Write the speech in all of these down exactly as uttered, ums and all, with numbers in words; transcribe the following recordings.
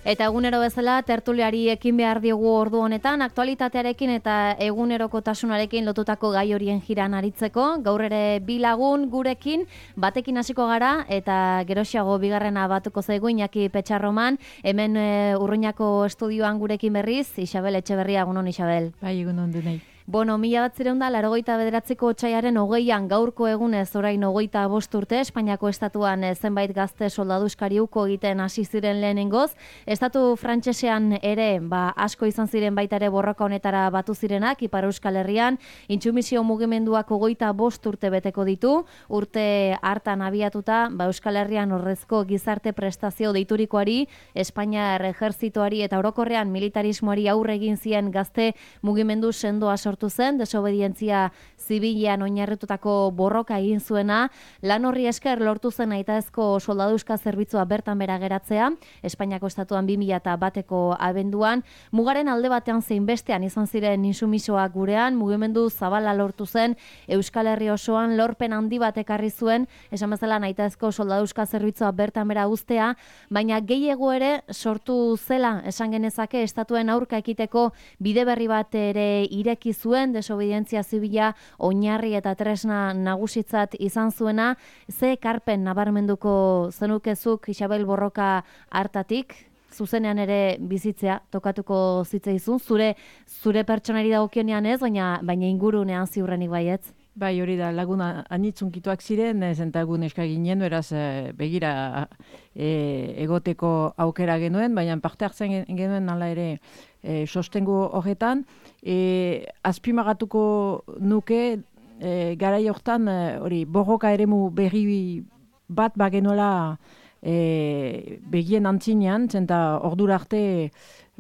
Eta egunero bezala tertuliari ekin behar diogu ordu honetan, aktualitatearekin eta egunerokotasunarekin lotutako gai horien jiran aritzeko. Gaur ere bi lagun gurekin, batekin hasiko gara eta geroxiago bigarrena batuko zaigu Iñaki Petxarroman, hemen e, Urruñako estudioan gurekin berriz, Isabel Etxeberria, egunon Isabel. Bai, egunon denei. Bueno, mila bat zireun da, larogeita bederatziko otsailaren hogeian gaurko egunez orain hogeita bost urte, Espainiako estatuan zenbait gazte soldaduzkari uko egiten hasi ziren lehenengoz. Estatu frantsesean ere, ba, asko izan ziren baita ere borroka honetara batu zirenak, Ipar Euskal Herrian, intsumisio mugimenduak hogeita bost urte beteko ditu, urte hartan abiatuta, ba, Euskal Herrian horrezko gizarte prestazio deiturikoari, Espainiar ejerzitoari eta orokorrean militarismoari aurre egin zien gazte mugimendu sendoa sortu zen, desobedientzia zibilean oinarritutako borroka egin zuena, lan horri esker lortu zen nahitaezko soldaduzka zerbitzua bertan bera geratzea, Espainiako estatuan bi mila bateko abenduan, mugaren alde batean zein bestean izan ziren insumisoak gurean, mugimendu zabala lortu zen, Euskal Herri osoan lorpen handi bat ekarri zuen, esan bezala nahitaezko soldaduzka zerbitzua bertan bera uztea, baina gehiago ere sortu zela, esan genezake, estatuen aurka ekiteko bide berri bat ere ireki zuen, desobedientzia zibila oinarri eta tresna nagusitzat izan zuena. Ze ekarpen nabarmenduko zenukezuk Isabel borroka hartatik, zuzenean ere bizitzea tokatuko zitzaizun, zure zure pertsonari dagokionean ez, baina baina ingurunean ziurrenik baietz. Bai, hori da, laguna anitzunkitua ziren, zentagun eska ginen, beraz begira e, egoteko aukera genuen, baina parte hartzen genuen ala ere e, sostengu horretan. E, azpimagatuko nuke, e, garai hortan, hori borroka eremu berri bat bagenuela e, begien antzinean, zenta ordura arte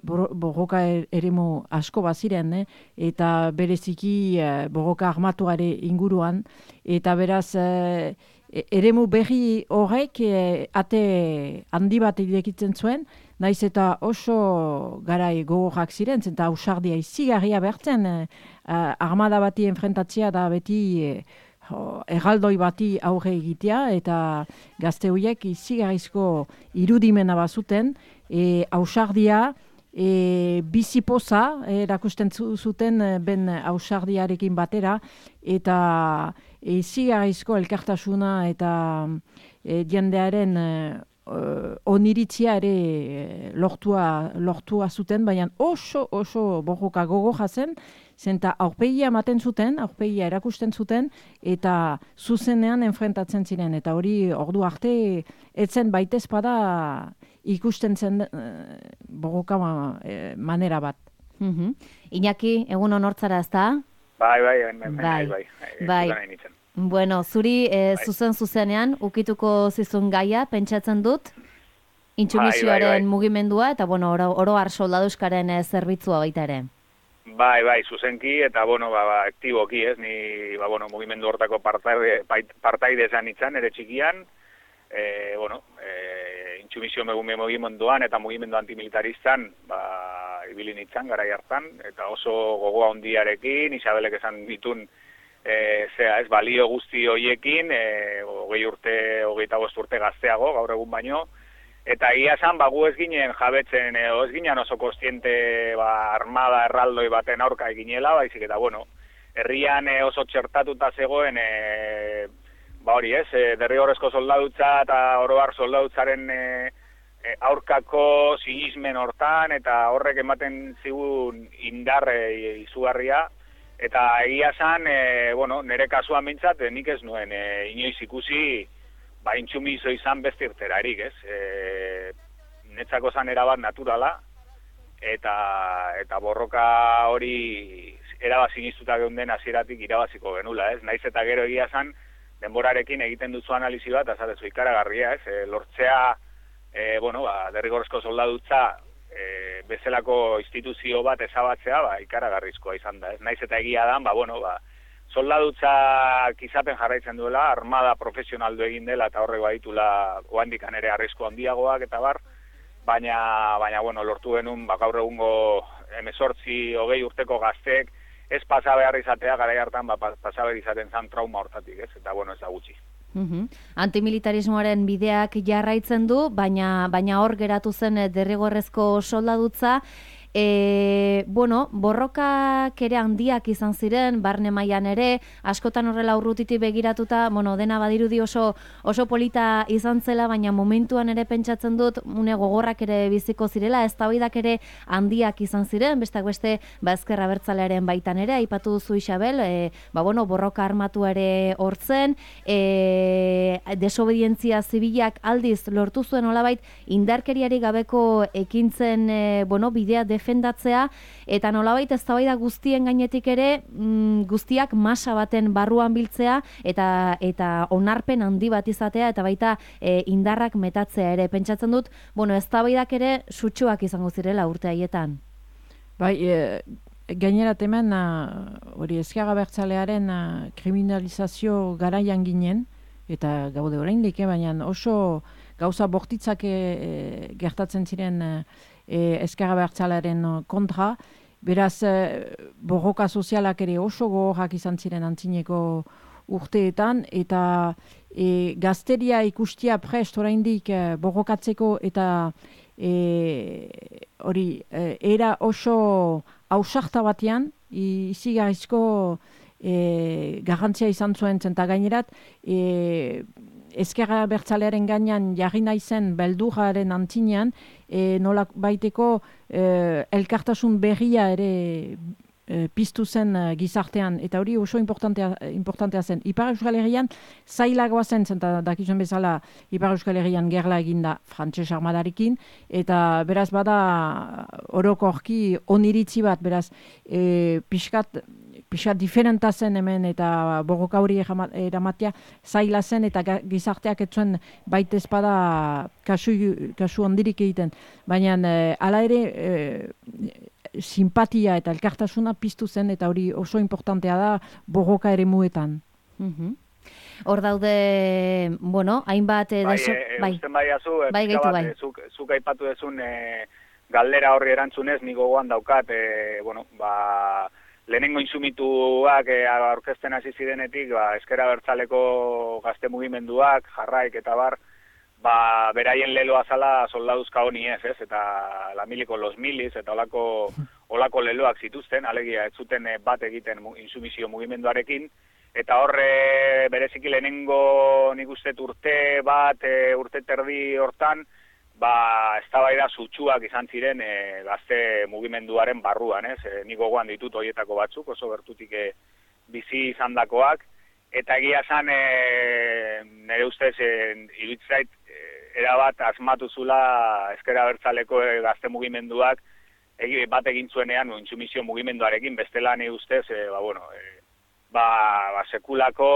borroka eremu asko baziren, eh? Eta bereziki eh, borroka armatuare inguruan, eta beraz eh, eremu berri horrek eh, ate handi bat irekitzen zuen, naiz eta oso garai gogorrak ziren, zenta ausardia izigarria bertzen, eh, armada bati enfrentatzea da beti eh, erraldoi bati aurre egitea, eta gazte horiek izigarrizko irudimena bazuten, eh, ausardia, E, bizipoza erakusten zuten ben ausardiarekin batera, eta izigarrizko elkartasuna eta e, jendearen e, oniritzia ere lortua, lortua zuten, baina oso oso borroka gogorra zen, zenta aurpegia ematen zuten, aurpegia erakusten zuten, eta zuzenean enfrentatzen ziren, eta hori ordu arte etzen baitezpada ikusten zen uh, borroka ma, eh, manera bat. Mm-hmm. Iñaki, egun honortzara ez da? Bai, bai, bai, bai, bai, bai. bai. Bueno, zuri eh, bai. zuzen zuzenean ukituko zizun gaia, pentsatzen dut, intsumisioaren bai, bai, bai. mugimendua, eta bueno, oro, oro har soldaduzkaren eh, zerbitzua baita ere. Bai, bai, zuzenki, eta bueno, ba, ba, aktiboki, ez, ni, ba, bueno, mugimendu hortako partaide, partaide esan itzan, ere txikian, e, bueno, e, intsumisio mugimenduan eta mugimendu antimilitaristan, ba, ibili nintzen garai hartan, eta oso gogoa hondiarekin, Isabelek esan ditun, e, zea, ez, balio guzti hoiekin, e, hogei urte, hogeita bost urte gazteago, gaur egun baino, eta ia esan, ba, gu ez ginen jabetzen, e, ez ginen oso kostiente, ba, armada erraldoi baten aurka eginela, baizik eta, bueno, herrian e, oso txertatuta zegoen, e, ba hori ez, e, derrigorrezko soldadutza eta oroar soldadutzaren e, e, aurkako sinismen hortan, eta horrek ematen zigun indarre izugarria, eta egia zan, e, bueno, nire kasuan bintzat, e, nik ez nuen, e, inoiz ikusi, ba, intsumiso izan beste irterarik, ez? E, netzako zan erabat naturala, eta, eta borroka hori erabazi niztuta geunden hasieratik irabaziko genula, ez? Naiz eta gero egia zan, denborarekin egiten duzu analizi bat, azatezu ikaragarria, ez? E, lortzea, e, bueno, ba, derrigorrezko soldadutza, e, bezalako instituzio bat ezabatzea, ba, ikaragarrizkoa izan da, ez? Naiz eta egia dan, ba, bueno, ba, soldadutzak izaten jarraitzen duela, armada profesionaldu egin dela, eta horrek baditula oandikan ere arrisku handiagoak, eta bar, baina, baina, bueno, lortu genuen, ba, gaur egungo hemezortzi, hogei urteko gaztek, ez pasa behar izatea, garai hartan, ba, pasa behar izaten zan trauma hortatik, ez? Eta, bueno, ez da gutxi. Uhum. Antimilitarismoaren bideak jarraitzen du, baina baina hor geratu zen derrigorrezko soldadutza. E, bueno, borrokak ere handiak izan ziren, barne mailan ere, askotan horrela urrutitik begiratuta, bueno, dena badirudi oso oso polita izan zela, baina momentuan ere pentsatzen dut, une gogorrak ere biziko zirela, eztabaidak ere handiak izan ziren, besteak beste, ba ezker abertzalearen baitan ere, aipatu duzu Isabel, e, ba bueno, borroka armatu ere hortzen, e, desobedientzia zibilak aldiz lortu zuen olabait, indarkeriari gabeko ekintzen, e, bueno, bidea defendatzea, eta nolabait eztabaida guztien gainetik ere mm, guztiak masa baten barruan biltzea eta eta onarpen handi bat izatea eta baita e, indarrak metatzea ere. Pentsatzen dut, bueno, eztabaidak ere sutsuak izango zirela urte haietan. Bai, e, gainera temen hori ezker abertzalearen kriminalizazio garaian ginen, eta gaude oraindik, baina oso gauza bortitzak e, gertatzen ziren e, E, ezker abertzalearen kontra, beraz e, borroka sozialak ere oso gogorrak izan ziren antzineko urteetan, eta e, gazteria ikustia prest oraindik e, borrokatzeko eta e, hori e, era oso ausarta batean, izigarrizko e, garrantzia izan zuen zenta gainerat, e, ezker abertzalearen gainean jarri naizen beldurraren antzinean, e, nola baiteko e, elkartasun berria ere e, piztu zen e, gizartean, eta hori oso importantea, importantea zen. Ipar Euskal Herrian zailagoa zen, zenta dakizuen bezala Ipar Euskal Herrian gerla eginda frantses armadarekin, eta beraz bada orokorki oniritzi bat, beraz e, pixkat pixat diferenta zen hemen eta borroka hori eramatea zaila zen eta gizarteak etzuen baita espada kasu, kasu ondirik egiten. Baina e, ala ere e, simpatia eta elkartasuna piztu zen eta hori oso importantea da borroka ere muetan. Mm-hmm. Hor daude, bueno, hainbat... E, bai, deso... e, bai, usten bai azu, e, bai, gaitu, bai. Zuk, zuk aipatu dezun e, galdera horri erantzunez, ni gogoan daukat, e, bueno, ba... Lehenengo insumituak e, aurkezten hasi zirenetik, ba, ezker abertzaleko gazte mugimenduak, jarraik eta bar, ba, beraien leloa zala soldaduzka honi ez, ez, eta la miliko los milis, eta olako, olako leloak zituzten, alegia, ez zuten bat egiten insumizio mugimenduarekin, eta horre bereziki lehenengo nik uste urte bat, e, urte terdi hortan, ba, eztabaida sutsuak izan ziren e, gazte mugimenduaren barruan, ez? E, nik gogoan ditut horietako batzuk, oso gertutik e, bizi izandakoak, eta egia zan, e, nire ustez, e, iruditzait, e, erabat asmatu zula ezker abertzaleko e, gazte mugimenduak egi, bat egin zuenean intsumizio mugimenduarekin, bestela nire ustez, e, ba, bueno, e, ba, ba, sekulako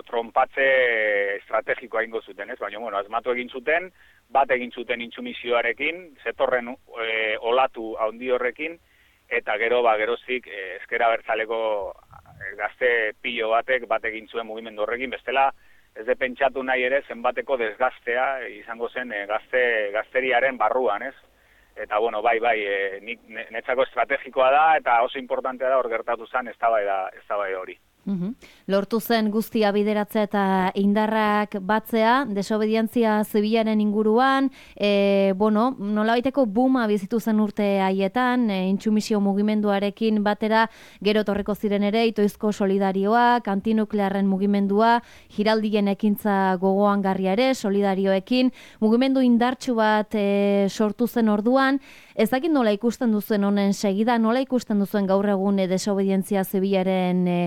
trompatze estrategikoa ingo zuten, ez? Baina, bueno, asmatu egin zuten, bat egin zuten intsumizioarekin, zetorren e, olatu handi horrekin, eta gero, ba, geroztik e, ezker abertzaleko e, gazte pilo batek bat egin zuen mugimendu horrekin, bestela ez de pentsatu nahi ere zenbateko desgaztea izango zen e, gazte, gazteriaren barruan, ez? Eta, bueno, bai, bai, e, nik, netzako estrategikoa da, eta oso importantea da hor gertatu zen eztabaida eztabaida hori. Uhum. Lortu zen guztia bideratzea eta indarrak batzea, desobedientzia zibilaren inguruan, e, bueno, nolabaiteko buma bizitu zen urte haietan, e, intsumisio mugimenduarekin batera, gero torreko ziren ere, itoizko solidarioak, antinuklearren mugimendua, giraldien ekintza gogoan garria ere, solidarioekin, mugimendu indartsu bat e, sortu zen orduan, ez dakit nola ikusten duzuen honen segida, nola ikusten duzuen gaur egun e, desobedientzia zibilaren e,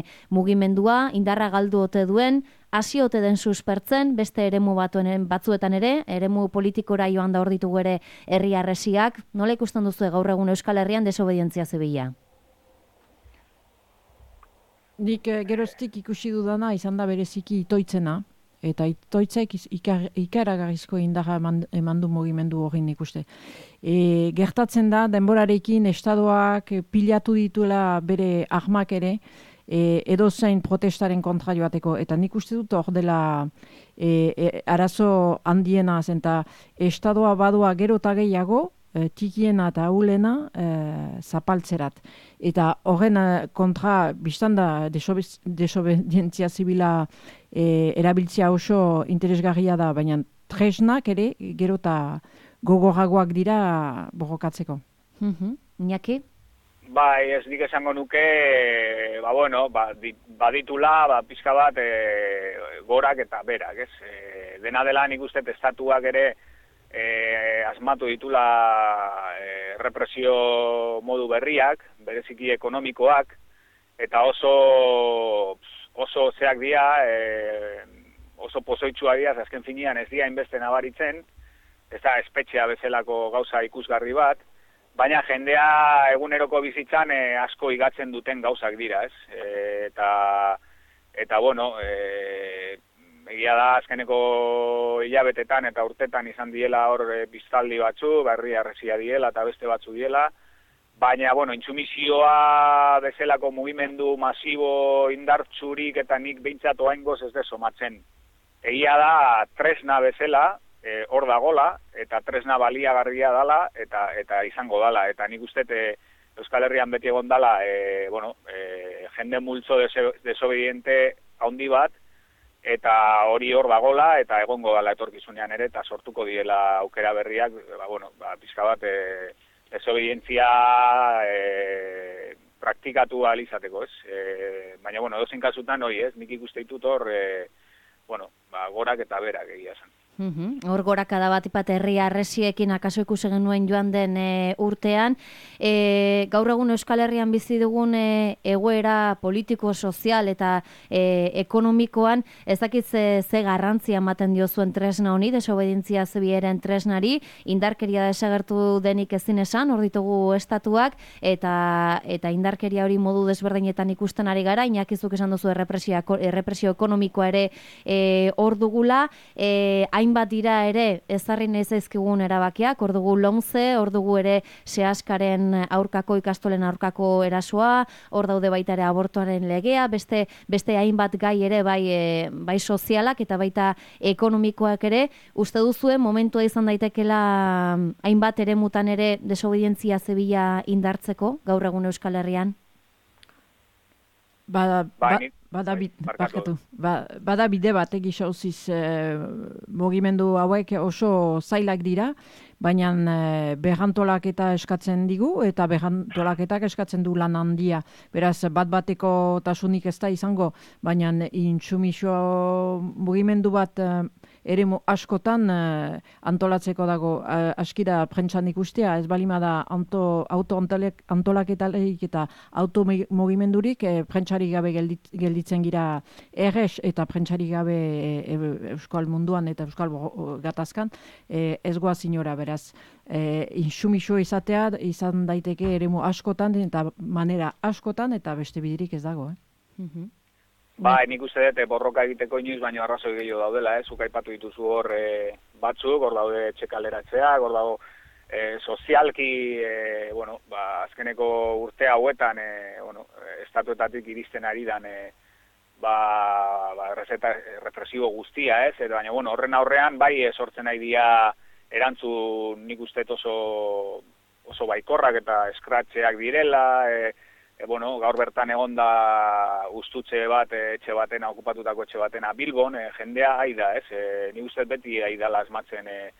mugimendua, indarra galdu ote duen, hasi ote den suspertzen, beste eremu batuen batzuetan ere, eremu politikora joan da hor ditugu ere herri harresiak, nola ikusten duzu gaur egun Euskal Herrian desobedientzia zibila? Nik eh, geroztik ikusi dudana izan da bereziki itoitzena, eta itoitzek ikar, ikaragarrizko indarra eman, eman du mugimendu horrin ikuste. E, gertatzen da, denborarekin estadoak pilatu dituela bere armak ere, e, edozein protestaren kontra joateko, eta nik uste dut hor dela e, e, arazo handiena zen, eta estadoa badua gero eta gehiago, e, tikiena eta ahulena e, zapaltzerat. Eta horren kontra, biztanda desobedientzia zibila e, erabiltzea oso interesgarria da, baina tresnak ere gero eta gogorragoak dira borrokatzeko. Mm-hmm. Iñaki? Bai, ez nik esango nuke, ba, bueno, ba, baditula, ba, pizka bat e, gorak eta berak, ez? E, dena dela nik uste estatuak ere e, asmatu ditula e, represio modu berriak, bereziki ekonomikoak, eta oso, oso zeak dira, e, oso pozoitsua dira, azken finean ez dira inbeste nabaritzen, ez da espetxea bezalako gauza ikusgarri bat, baina jendea eguneroko bizitzan e, asko igatzen duten gauzak dira, ez? E, eta, eta, bueno, e, egia da azkeneko hilabetetan eta urtetan izan diela hor e, biztaldi batzu, berri arresia diela eta beste batzu diela, baina, bueno, intsumisioa bezalako mugimendu masibo indartzurik eta nik behintzat oaingoz ez desomatzen. Egia da tresna bezala, hor e, dagola, eta tresna baliagarria dala, eta eta izango dala. Eta nik uste e, Euskal Herrian beti egon dala, e, bueno, e, jende multzo desobediente handi bat, eta hori hor dagola, eta egongo dala etorkizunean ere, eta sortuko diela aukera berriak, ba, bueno, ba, pizka bat, e, desobedientzia e, praktikatu alizateko, ez? E, baina, bueno, dozen kasutan hori, ez? Nik ikuste ditut hor, e, bueno, ba, gorak eta berak egia zen. Uhum. Hor gorakada bat ipat herri arresiekin akaso ikusi genuen joan den e, urtean. E, gaur egun Euskal Herrian bizi dugun e, egoera politiko, sozial eta e, ekonomikoan, ez dakit ze, ze garrantzia ematen diozuen tresna honi, desobedientzia zibilaren tresnari, indarkeria desagertu denik ezin esan, hor ditugu estatuak, eta eta indarkeria hori modu desberdinetan ikusten ari gara, inakizuk esan duzu errepresio, errepresio ekonomikoa ere e, hor dugula, e, hainbat dira ere ezarri nahi zaizkigun erabakiak, hor dugu lomze, hor dugu ere sehaskaren aurkako ikastolen aurkako erasoa, hor daude baita ere abortuaren legea, beste beste hainbat gai ere bai e, bai sozialak eta baita ekonomikoak ere. Uste duzue momentua izan daitekela hainbat eremutan ere desobedientzia zibila indartzeko gaur egun Euskal Herrian? Bada, ba, bada, barkatu, ba, bada bide bat egisa uziz e, mugimendu hauek oso zailak dira, baina e, berrantolaketa eskatzen digu eta berrantolaketak eskatzen du lan handia. Beraz, bat bateko tasunik ez da izango, baina intsumisio mugimendu bat e, eremu askotan e, antolatzeko dago, e, askira prentsan ikustea, ez balima da auto, auto antolaketaleik eta auto mugimendurik e, prentsarik gabe geldit, gelditzen gira erres eta prentsarik gabe e, Euskal munduan eta Euskal gatazkan e, ez goaz inora, beraz e, insumisio izatea izan daiteke eremu askotan eta manera askotan eta beste bidirik ez dago. Eh? Mm-hmm. Ba, nik uste dut, borroka egiteko inoiz, baina arrazoi gehiago daudela, eh? Zuk aipatu dituzu hor e, batzuk, hor daude txekaleratzeak, hor dago e, sozialki, e, bueno, ba, azkeneko urte hauetan, e, bueno, estatuetatik iristen ari dan, e, ba, ba, errezeta, represibo guztia, ez? Baina, bueno, horren aurrean, bai, sortzen nahi dia erantzun nik uste oso, oso baikorrak eta eskratxeak direla, e, E, bueno, gaur bertan egonda ustutze bat, e, etxe batena, okupatutako etxe batena Bilbon, e, jendea aida, ez? E, ni uste beti aidala asmatzen, e,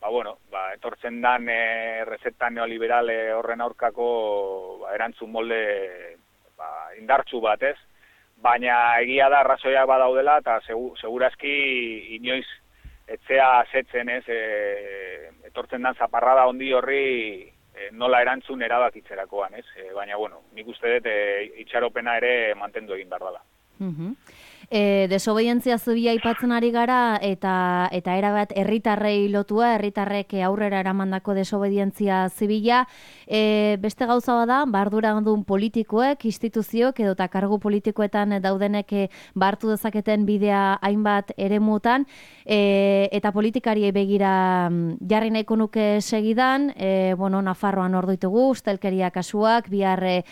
ba, bueno, ba, etortzen dan e, rezetan neoliberale horren aurkako ba, erantzun molde ba, indartsu bat, ez? Baina egia da arrazoiak badaudela eta segu, segurazki inoiz etzea asetzen, ez? E, etortzen dan zaparrada ondi horri E, nola erantzun erabakitzerakoan, ez? E, baina, bueno, nik uste dut e, itxaropena ere mantendu egin behar dela. Mm-hmm. E, desobedientzia zibila aipatzen ari gara eta eta erabat herritarrei lotua, herritarrek aurrera eramandako desobedientzia zibila. E, beste gauza bada, barduradun politikoek, instituzioek edo eta kargu politikoetan daudenek bartu dezaketen bidea hainbat eremutan, e, eta politikariei begira jarri nahiko nuke segidan, e, bueno, Nafarroan hor ditugu, ustelkeria kasuak, bihar e,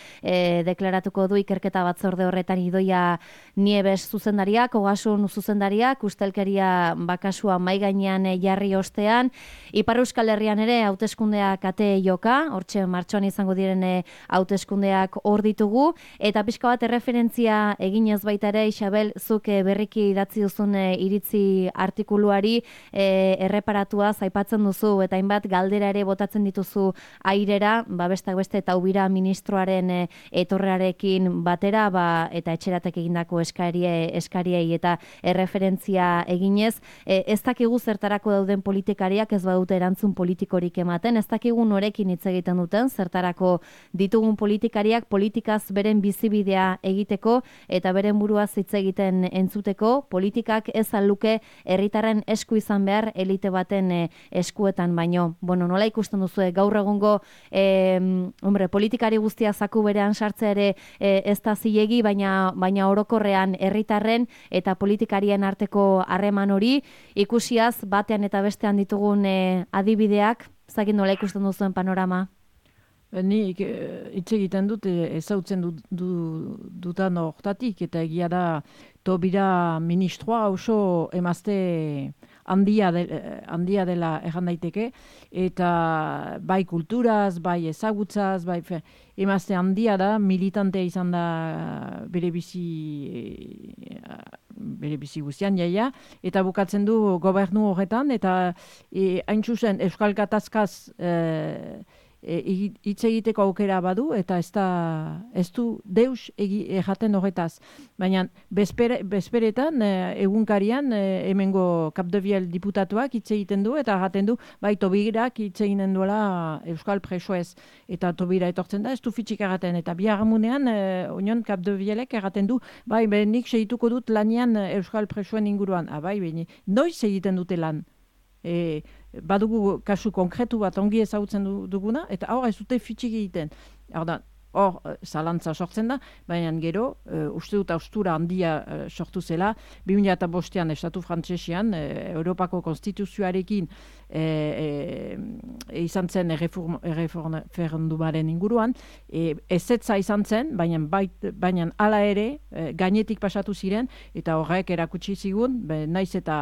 deklaratuko du ikerketa batzorde horretan Idoia Nieves zuzendariak, Ogasun zuzendariak, ustelkeria bakasua mai gainean jarri ostean, Ipar Euskal Herrian ere hauteskundeak ate joka, hortxe martxoan izango diren hauteskundeak hor ditugu, eta pixka bat erreferentzia eginez baita ere, Isabel, zuk berriki idatzi duzun iritzi artikuluari e, erreparatua zaipatzen duzu, eta hainbat galdera ere botatzen dituzu airera, ba, bestak beste eta ubira ministroaren e, etorrearekin batera, ba, eta etxeratek egindako eskarie, eskariei eta erreferentzia eginez, e, ez dakigu zertarako dauden politikariak ez badute erantzun politikorik ematen, ez dakigu norekin hitz egiten duten, zertarako ditugun politikariak politikaz beren bizibidea egiteko eta beren buruaz hitz egiten entzuteko, politikak ez aluke herritarren esku izan behar elite baten e, eskuetan baino. Bueno, nola ikusten duzu gaur egungo e, hombre, politikari guztia zaku berean sartzea ere e, ez da zilegi, baina, baina orokorrean herritarren eta politikarien arteko harreman hori ikusiaz batean eta bestean ditugun e, adibideak, zakin nola ikusten duzuen panorama? Ni hitz egiten dut ezautzen du, du, dutan hortatik, eta egia da Tobira ministroa oso emazte handia, de, handia dela erran daiteke, eta bai kulturaz, bai ezagutzaz, bai fe, emazte handia da, militantea izan da bere bizi, bere bizi guztian jaia, eta bukatzen du gobernu horretan, eta e, hain zuzen Euskal Gatazkaz e, hitz egiteko aukera badu, eta ez, da, ez du deus erraten horretaz. Baina bezpere, bezperetan, egunkarian, hemengo Capdeviel diputatuak hitz egiten du, eta erraten du, bai, Tobirak hitz egiten duela Euskal presoez, eta Tobira etortzen da, ez du fitxik erraten, eta biharmunean, onion Capdevielek erraten du, bai, nik segituko dut lanian Euskal presoen inguruan, ah, bai, beni, noiz egiten dute lan? E, badugu kasu konkretu bat ongi ezagutzen duguna, eta hor ez dute fitxik egiten. Hor, hor zalantza sortzen da, baina gero, uh, uste dut austura handia uh, sortu zela, bi mila bostean estatu frantsesian, uh, Europako konstituzioarekin e, e, izan zen erreferendumaren inguruan, e, ezetza izan zen, baina, bait, baina hala ere, e, gainetik pasatu ziren, eta horrek erakutsi zigun, be, naiz eta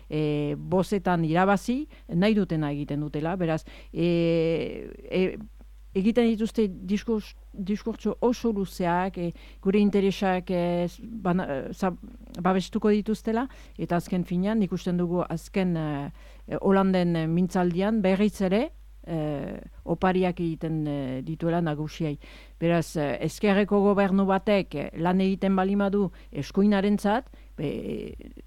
e, bozetan irabazi, nahi dutena egiten dutela, beraz, e, e, egiten dituzte diskurs, diskurtso oso luzeak, e, gure interesak e, bana, za, babestuko dituztela, eta azken finean, ikusten dugu azken e, Holanden mintzaldian berriz ere, e, opariak egiten e, dituela nagusiai. Beraz, e, ezkerreko gobernu batek lan egiten balimadu eskuinarentzat, be,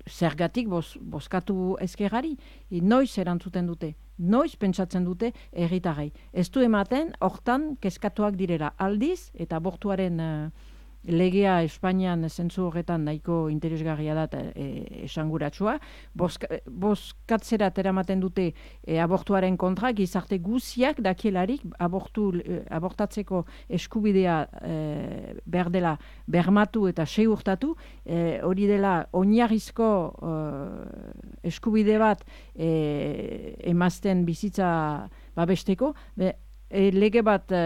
zergatik boz, bozkatu ezkerrari, e, noiz erantzuten dute. Noiz pentsatzen dute herritarrei. Ez du ematen, hortan kezkatuak direla aldiz, eta abortuaren uh, legea Espainian zentzu horretan nahiko interesgarria da e, esanguratsua. Boska, bozkatzera teramaten dute e, abortuaren kontra, gizarte guziak dakielarik abortu, e, abortatzeko eskubidea e, behar dela bermatu eta segurtatu, e, hori dela oinarrizko e, eskubide bat e, emazten bizitza babesteko, be, e, lege bat e,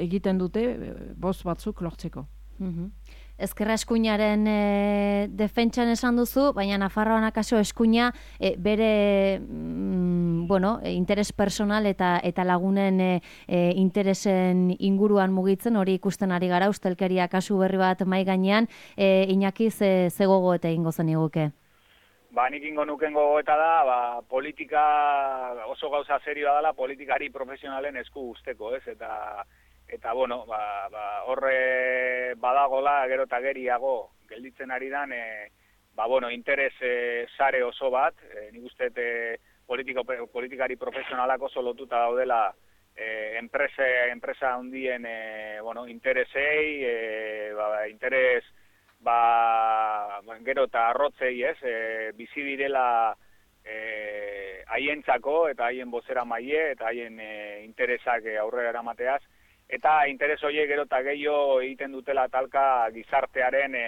egiten dute e, boz batzuk lortzeko. Mm-hmm. Ezkerra eskuinaren e, defentsan esan duzu, baina Nafarroan akaso eskuina e, bere mm, bueno, e, interes personal eta eta lagunen e, e, interesen inguruan mugitzen, hori ikusten ari gara, ustelkeria kasu berri bat mai gainean, e, Iñaki ze, ze gogo eta ingo zen iguke? Ba, nik ingo nuken gogoeta da, ba, politika oso gauza serioa dela politikari profesionalen esku usteko, ez? Eta Eta, bueno, ba, ba, horre badagola gero eta geriago gelditzen ari dan, e, ba, bueno, interes e, sare oso bat, e, nik uste e, politiko, politikari profesionalak oso lotuta daudela e, enprese, enpresa handien e, bueno, interesei, e, ba, interes ba, gero eta arrotzei, ez, e, bizi direla e, haientzako eta haien bozera maile eta haien e, interesak aurrera eramateaz. Eta interes horiek gero eta gehiago egiten dutela talka gizartearen e,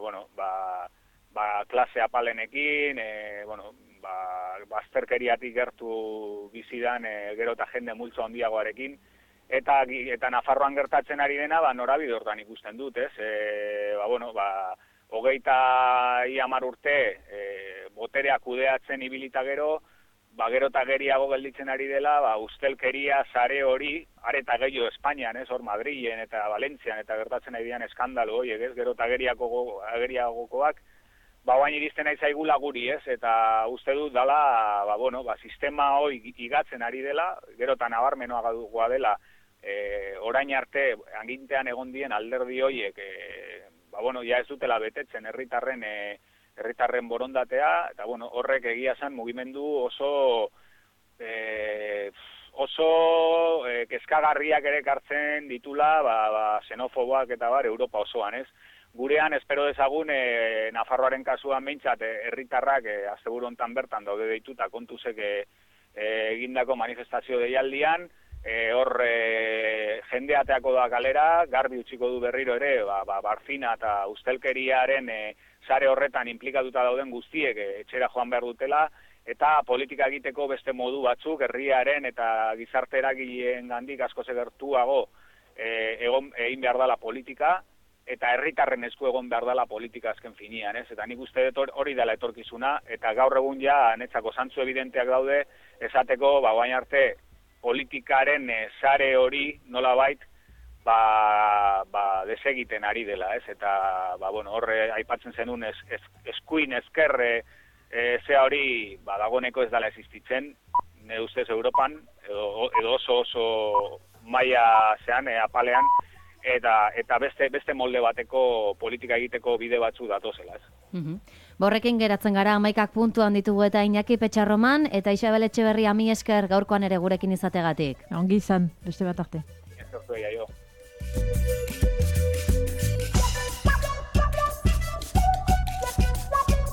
bueno, ba, ba, klase apalenekin, e, bueno, ba, bazterkeriatik gertu bizidan e, gero eta jende multzo handiagoarekin. Eta, eta Nafarroan gertatzen ari dena, ba, norabide hortan ikusten dut, ez? E, ba, bueno, ba, hogeita iamar urte e, boterea kudeatzen ibilita gero, ba, gero eta geriago gelditzen ari dela, ba, ustelkeria sare hori, areta gehiago Espainian, ez, hor Madrilen eta Valentzian eta gertatzen ari dian eskandalo horiek, ez, gero eta geriagokoak, ba, oain iristen nahi zaigula guri, ez, eta uste dut dala, ba, bueno, ba, sistema hori igatzen ari dela, gero eta nabarmenoa goa dela, e, orain arte, agintean egon dien alderdi horiek, e, ba, bueno, ja ez dutela betetzen herritarren, e, herritarren borondatea, eta bueno, horrek egia zen mugimendu oso e, oso e, kezkagarriak ere kartzen ditula, ba, ba, xenofoboak eta bar, Europa osoan, ez? Gurean, espero dezagun, e, Nafarroaren kasuan behintzat, herritarrak e, asteburu hontan bertan daude deituta kontuzek e, e, egindako manifestazio deialdian, e, hor e, jendeateako da kalera, garbi utziko du berriro ere, ba, ba, barfina eta ustelkeriaren e, sare horretan implikatuta dauden guztiek etxera joan behar dutela, eta politika egiteko beste modu batzuk, herriaren eta gizarte eragileen gandik asko gertuago e, egon, egin behar dela politika, eta herritarren esku egon behar dela politika azken finian, ez? Eta nik uste dut hori dela etorkizuna, eta gaur egun ja netzako zantzu evidenteak daude, esateko, ba, baina arte, politikaren e, sare hori nolabait, ba, ba desegiten ari dela, ez? Eta, ba, bueno, horre aipatzen zenun es, es, eskuin ezkerre e, zea hori, ba, dagoneko ez dela existitzen, ne ustez Europan, edo, edo oso oso maila zean, e, apalean, eta eta beste beste molde bateko politika egiteko bide batzu datozela, ez? Mhm. Borrekin geratzen gara hamaikak puntuan ditugu eta Iñaki Petxarroman, eta Isabel Etxeberria mi esker gaurkoan ere gurekin izategatik. Ongi izan, beste bat arte. Ez ortu egia jo.